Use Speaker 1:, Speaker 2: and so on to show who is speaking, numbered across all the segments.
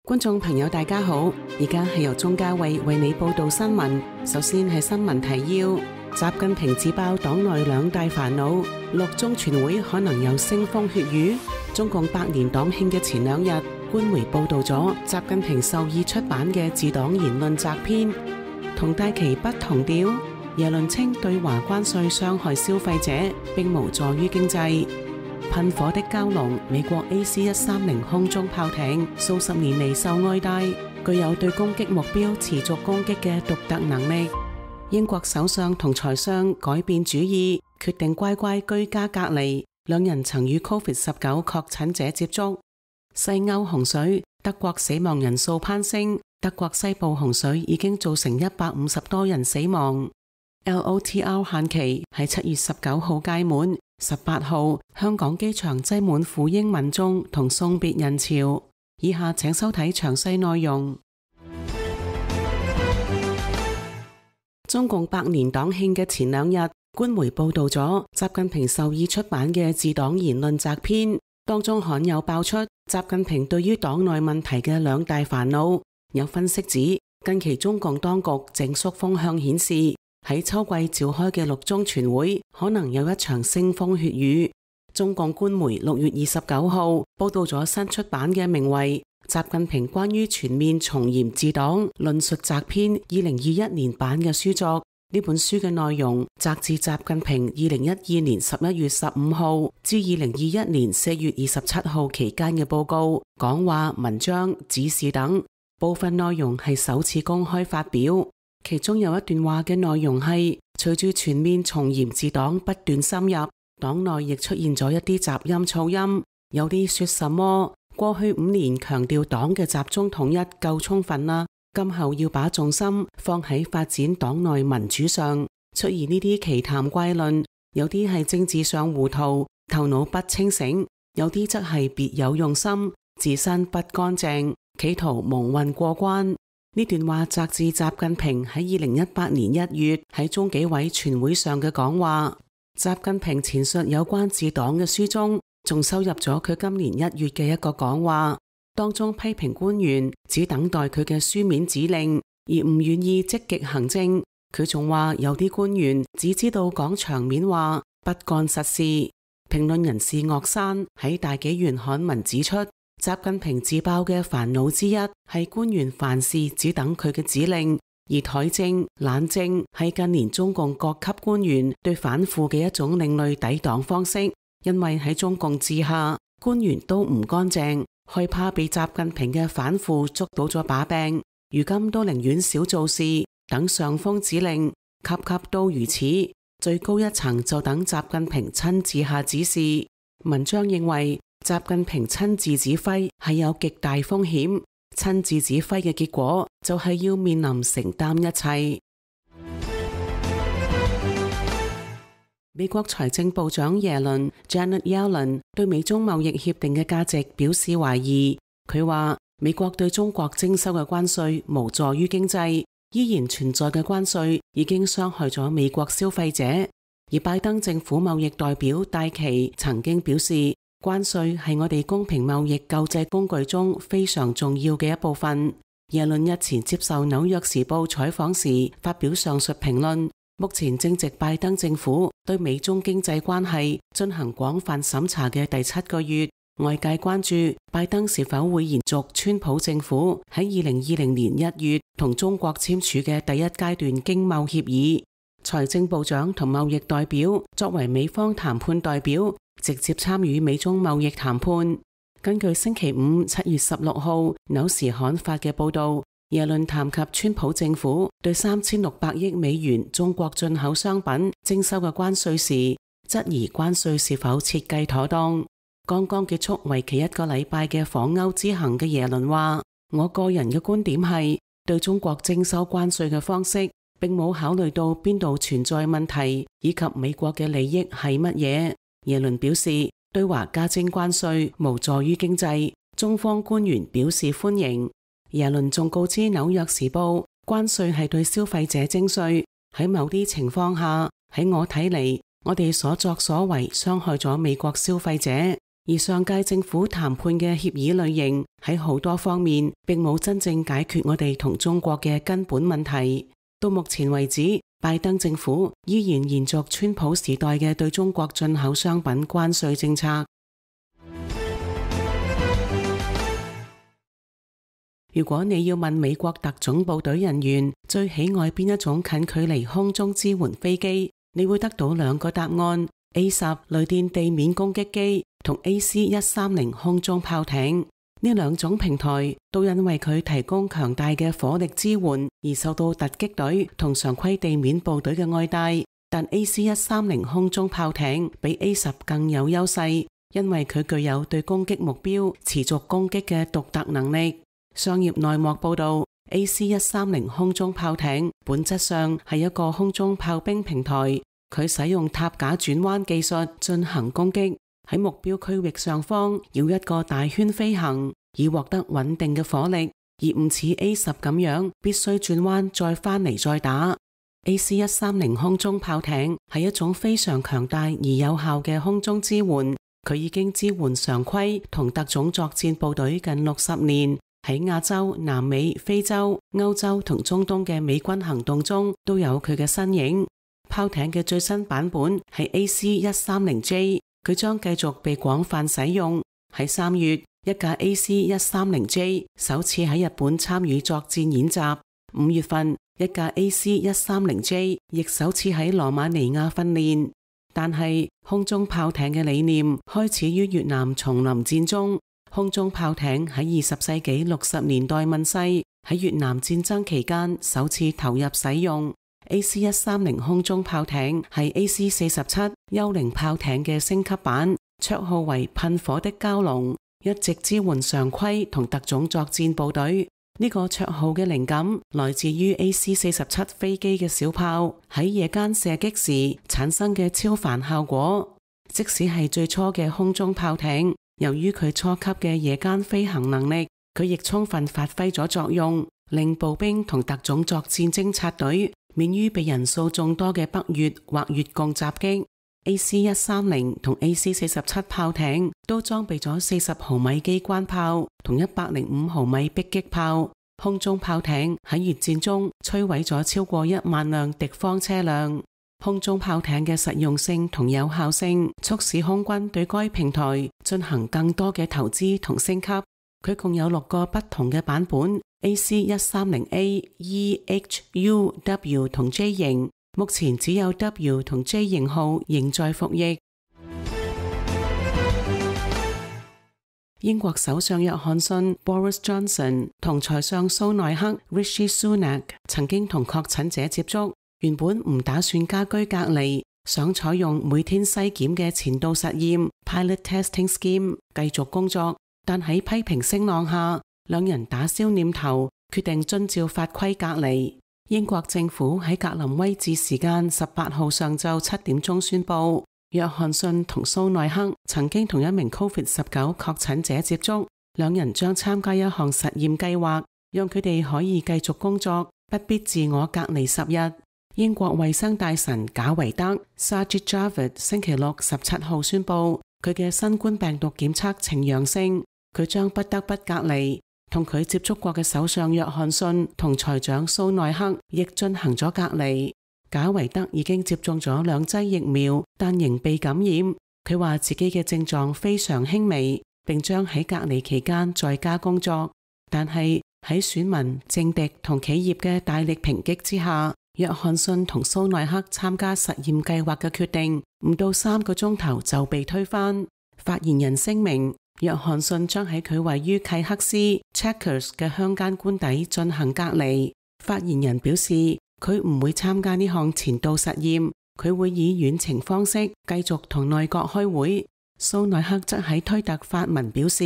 Speaker 1: 觀眾朋友大家好，而家係由鍾嘉慧為你報道新聞。首先係新聞提要：習近平自爆黨內兩大煩惱，六中全會可能有腥風血雨。中共百年黨慶嘅前兩日，官媒報道咗習近平授意出版嘅治黨言論摘編，同大旗不同調。耶倫稱對華關稅傷害消費者，並無助於經濟。噴火的蛟龍，美國 AC-130空中炮艇數十年嚟受愛戴，具有對攻擊目標持續攻擊嘅獨特能力。英國首相同財相改變主意，決定乖乖居家隔離。兩人曾與 COVID-19 確診者接觸。西歐洪水，德國死亡人數攀升，德國西部洪水已經造成150多人死亡。LOTR 限期喺7月19號屆滿，18號香港機場擠滿赴英民眾同送別人潮。以下請收睇詳細內容。中共百年黨慶嘅前兩日，官媒報道咗習近平授意出版嘅治黨言論摘編，當中罕有爆出習近平對於黨內問題嘅兩大煩惱。有分析指，近期中共當局整肅風向顯示，喺秋季召開嘅六中全會可能有一場腥風血雨。中共官媒6月29號報道咗新出版嘅名為《習近平關於全面從嚴治黨論述摘編》2021年版嘅書作。呢本書嘅內容摘自習近平2012年11月15號至2021年4月27號期間嘅報告、講話、文章、指示等，部分內容係首次公開發表。其中有一段話嘅內容係：隨住全面從嚴治黨不斷深入，黨內亦出現咗一啲雜音噪音，有啲說什麼過去5年強調黨嘅集中統一夠充分啦，今後要把重心放喺發展黨內民主上。出現呢啲奇談怪論，有啲係政治上糊塗，頭腦不清醒，有啲則係別有用心，自身不乾淨，企圖蒙混過關。呢段話摘自習近平喺2018年1月喺中紀委全會上嘅講話。習近平前述有關治黨嘅書中，仲收入咗佢今年1月嘅一個講話，當中批評官員只等待佢嘅書面指令，而唔願意積極行政。佢仲話有啲官員只知道講場面話，不幹實事。評論人士岳山喺大紀元刊文指出，習近平自爆嘅煩惱之一係官員凡事只等佢嘅指令，而怠政、懶政係近年中共各級官員對反腐嘅一種另類抵擋方式。因為喺中共治下，官員都唔乾淨，害怕被習近平嘅反腐捉到咗把柄，如今都寧願少做事，等上峰指令，級級都如此。最高一層就等習近平親自下指示。文章認為，習近平親自指揮係有極大風險，親自指揮嘅結果就係要面臨承擔一切。美國財政部長耶倫 Janet Yellen 對美中貿易協定嘅價值表示懷疑。佢話美國對中國徵收嘅關稅無助於經濟，依然存在嘅關稅已經傷害咗美國消費者。而拜登政府貿易代表戴琪曾經表示，關稅係我哋公平貿易救濟工具中非常重要嘅一部分。耶倫日前接受紐約時報採訪時發表上述評論。目前正值拜登政府對美中經濟關係進行廣泛審查嘅第7個月，外界關注拜登是否會延續川普政府喺2020年1月同中國簽署嘅第一階段經貿協議。財政部長同貿易代表作為美方談判代表，直接參與美中貿易談判。根據星期五7月16號紐時刊發嘅報道，耶倫談及川普政府對3600億美元中國進口商品徵收嘅關稅時，質疑關稅是否設計妥當。剛剛結束為期1個禮拜嘅訪歐之行嘅耶倫話：我個人嘅觀點係，對中國徵收關稅嘅方式並冇考慮到邊度存在問題，以及美國嘅利益係乜嘢。耶倫表示，對華加徵關稅無助於經濟，中方官員表示歡迎。耶倫仲告知紐約時報，關稅係對消費者徵稅，喺某啲情況下，喺我睇嚟，我哋所作所為傷害咗美國消費者，而上屆政府談判嘅協議類型喺好多方面並冇真正解決我哋同中國嘅根本問題。到目前為止，拜登政府依然延續川普時代嘅對中國進口商品關稅政策。如果你要問美國特種部隊人員最喜愛邊一種近距離空中支援飛機，你會得到兩個答案：A10雷電地面攻擊機同 AC-130空中炮艇。呢兩種平台都因為佢提供強大嘅火力支援而受到突擊隊同常規地面部隊嘅愛戴。但 AC-130空中炮艇比 A10更有優勢，因為佢具有對攻擊目標持續攻擊嘅獨特能力。商業內幕報道， AC-130空中炮艇本質上係一個空中炮兵平台，佢使用塔架轉彎技術進行攻擊，喺目標區域上方繞一個大圈飛行，以獲得穩定嘅火力，而唔似 A10咁樣必須轉彎再返嚟再打。AC-130空中炮艇係一種非常強大而有效嘅空中支援，佢已經支援常規同特種作戰部隊近60年。喺亞洲、南美、非洲、歐洲同中東嘅美軍行動中都有佢嘅身影。炮艇嘅最新版本係 AC-130J， 佢將繼續被廣泛使用。喺3月，一架 AC-130J 首次喺日本參與作戰演習。5月份，一架 AC-130J 亦首次喺羅馬尼亞訓練。但係空中炮艇嘅理念開始於越南叢林戰中。空中炮艇喺20世紀60年代問世，喺越南戰爭期間首次投入使用。AC-130空中炮艇係 AC-47幽靈炮艇嘅升級版，綽號為噴火的蛟龍，一直支援常規同特種作戰部隊。呢個綽號嘅靈感來自於 AC-47飛機嘅小炮喺夜間射擊時產生嘅超凡效果。即使係最初嘅空中炮艇，由於佢初級嘅夜間飛行能力，佢亦充分發揮咗作用，令步兵同特種作戰偵察隊免於被人數眾多嘅北越或越共襲擊。AC-130同 AC-47炮艇都裝備咗40毫米機關炮同105毫米迫擊炮。空中炮艇喺越戰中摧毀咗超過1萬輛敵方車輛。空中炮艇嘅實用性同有效性促使空軍對該平台進行更多嘅投資同升級。佢共有6個不同嘅版本 ：AC-130A、E、H、U、W 同 J 型。目前只有 W 同 J 型號仍在服役。英國首相約翰遜 Boris Johnson 同財相蘇奈克 Rishi Sunak 曾經同確診者接觸。原本唔打算家居隔離，想採用每天篩檢嘅前導實驗 Pilot Testing Scheme 繼續工作，但喺批評聲浪下，兩人打消念頭，決定遵照法規隔離。英國政府喺格林威治時間18號上晝7點鐘宣布，約翰遜同蘇奈克曾經同一名 COVID-19 確診者接觸，兩人將參加一項實驗計劃，讓佢哋可以繼續工作，不必自我隔離10日。英國衛生大臣賈維德 Sajid Javid 星期六17號宣布，佢嘅新冠病毒檢測呈陽性，佢將不得不隔離。同佢接觸過嘅首相約翰遜同財長蘇奈克亦進行咗隔離。賈維德已經接種咗2劑疫苗，但仍被感染。佢話自己嘅症狀非常輕微，並將喺隔離期間在家工作。但係喺選民、政敵同企業嘅大力抨擊之下，約翰遜同蘇奈克參加實驗計劃嘅決定唔到3個鐘頭就被推翻。發言人聲明，約翰遜將喺佢位於契克斯 Chequers 嘅鄉間官邸進行隔離。發言人表示，佢唔會參加呢項前導實驗，佢會以遠程方式繼續同內閣開會。蘇奈克則喺推特發文表示，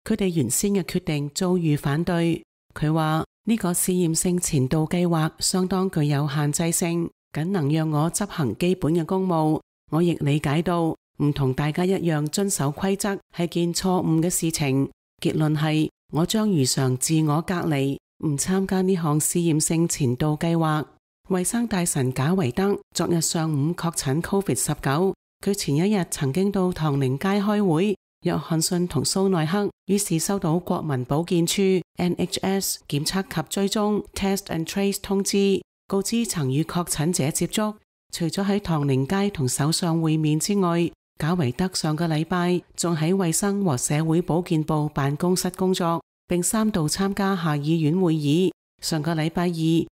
Speaker 1: 佢哋原先嘅決定遭遇反對。佢話呢個試驗性前導計劃相當具有限制性，僅能讓我執行基本嘅公務。我亦理解到唔同大家一樣遵守規則係件錯誤嘅事情。結論係我將如常自我隔離，唔參加呢項試驗性前導計劃。衛生大臣賈維德昨日上午確診 COVID-19， 佢前一日曾經到唐寧街開會。約翰遜同蘇奈克於是收到國民保健處 NHS 檢測及追蹤 Test and Trace 通知，告知曾與確診者接觸。除咗喺唐寧街同首相會面之外，賈維德上個禮拜仲喺衛生和社會保健部辦公室工作，並3度參加下議院會議。上個禮拜二，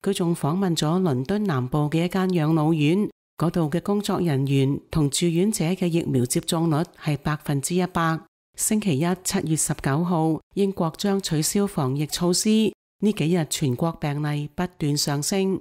Speaker 1: 佢仲訪問咗倫敦南部嘅一間養老院，嗰度嘅工作人員同住院者嘅疫苗接種率係100%。星期一7月19號，英國將取消防疫措施。呢幾日全國病例不斷上升。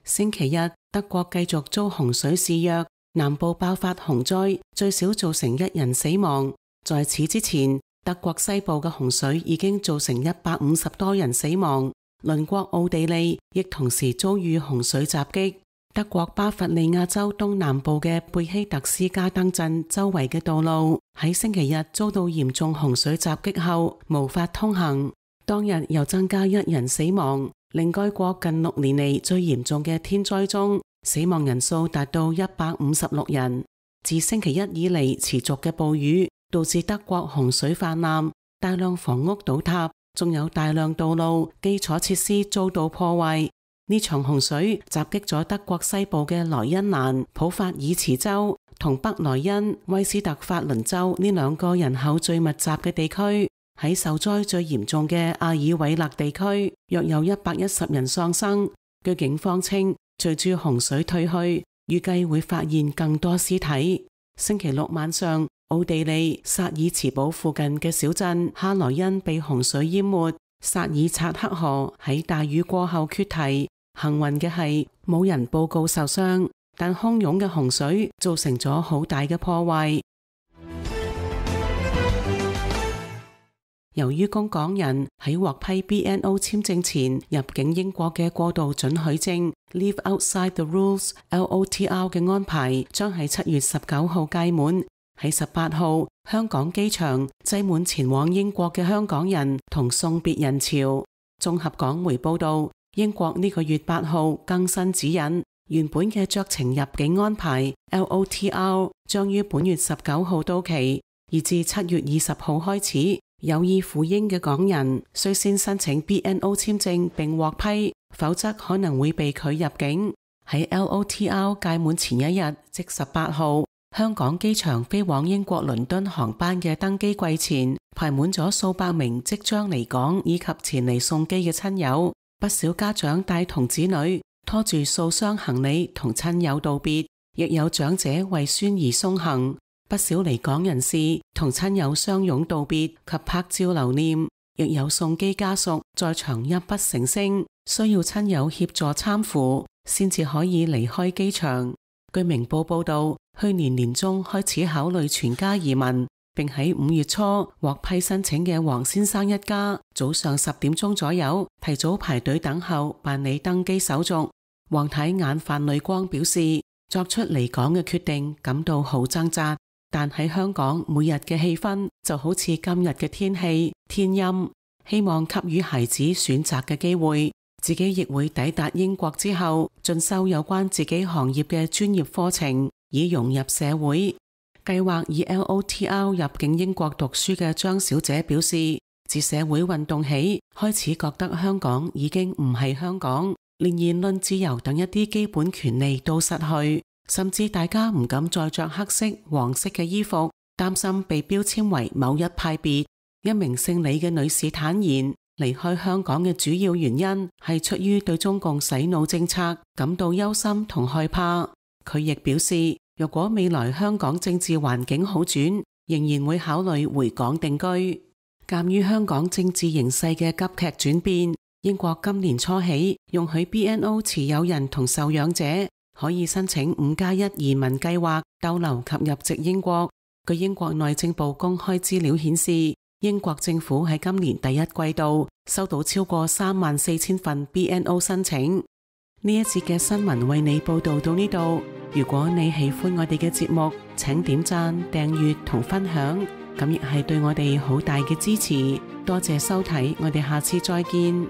Speaker 1: 星期一，德國繼續遭洪水肆虐，南部爆發洪災，最少造成1人死亡。在此之前，德國西部嘅洪水已經造成150多人死亡。鄰國奧地利亦同時遭遇洪水襲擊。德國巴伐利亞州東南部嘅貝希特斯加登鎮周圍嘅道路喺星期日遭到嚴重洪水襲擊後無法通行，當日又增加1人死亡，令該國近6年嚟最嚴重嘅天災中，死亡人數達到156人。自星期一以嚟持續嘅暴雨導致德國洪水泛濫，大量房屋倒塌，仲有大量道路基礎設施遭到破壞。呢場洪水襲擊咗德國西部嘅萊茵蘭、普法爾茨州同北萊茵、威斯特法倫州呢2個人口最密集嘅地區。喺受災最嚴重嘅阿爾韋勒地區，約有110人喪生。據警方稱，隨住洪水退去，預計會發現更多屍體。星期六晚上，奧地利薩爾茨堡附近嘅小鎮哈萊茵被洪水淹沒，薩爾察克河喺大雨過後決堤。幸運嘅係冇人報告受傷，但洶湧嘅洪水造成咗好大嘅破壞。由於供港人喺獲批 BNO 簽證前入境英國嘅過渡准許證 Leave Outside the Rules LOTR 嘅安排將喺7月19號屆滿。喺18號，香港機場擠滿前往英國嘅香港人同送別人潮。綜合港媒報道，英國呢個月8號更新指引，原本嘅酌情入境安排 LOTR 將於本月19號到期，而自7月20號開始，有意赴英嘅港人需先申請 BNO 簽證並獲批，否則可能會被拒入境。喺 LOTR 屆滿前一日，即18號，香港機場飛往英國倫敦航班嘅登機櫃前排滿咗數百名即將離港以及前嚟送機嘅親友。不少家長帶同子女拖住數箱行李同親友道別，亦有長者為孫兒送行。不少離港人士同親友相擁道別及拍照留念，亦有送機家屬在場泣不成聲，需要親友協助攙扶先至可以離開機場。據明報報道，去年年中開始考慮全家移民，並喺5月初獲批申請嘅黃先生一家，早上10點鐘左右提早排隊等候辦理登機手續。黃太眼泛淚光表示，作出離港嘅決定感到好掙扎，但喺香港每日嘅氣氛就好似今日嘅天氣，天陰，希望給予孩子選擇嘅機會。自己亦會抵達英國之後進修有關自己行業嘅專業課程，以融入社會。計劃以 LOTR 入境英國讀書嘅張小姐表示，自社會運動起，開始覺得香港已經唔係香港，連言論自由等一啲基本權利都失去，甚至大家唔敢再着黑色、黃色嘅衣服，擔心被標籤為某一派別。一名姓李嘅女士坦言，離開香港嘅主要原因係出於對中共洗腦政策感到憂心同害怕。佢亦表示，若果未來香港政治環境好轉，仍然會考慮回港定居。鑑於香港政治形勢嘅急劇轉變，英國今年初起容許 BNO 持有人同受養者可以申請5+1移民計劃逗留及入籍英國。據英國內政部公開資料顯示，英國政府喺今年第一季度收到超過34000份 BNO 申請。呢一節嘅新聞為你報道到呢度。如果你喜歡我哋嘅節目，請點讚、訂閱同分享。咁亦係對我哋好大嘅支持。多謝收睇，我哋下次再見。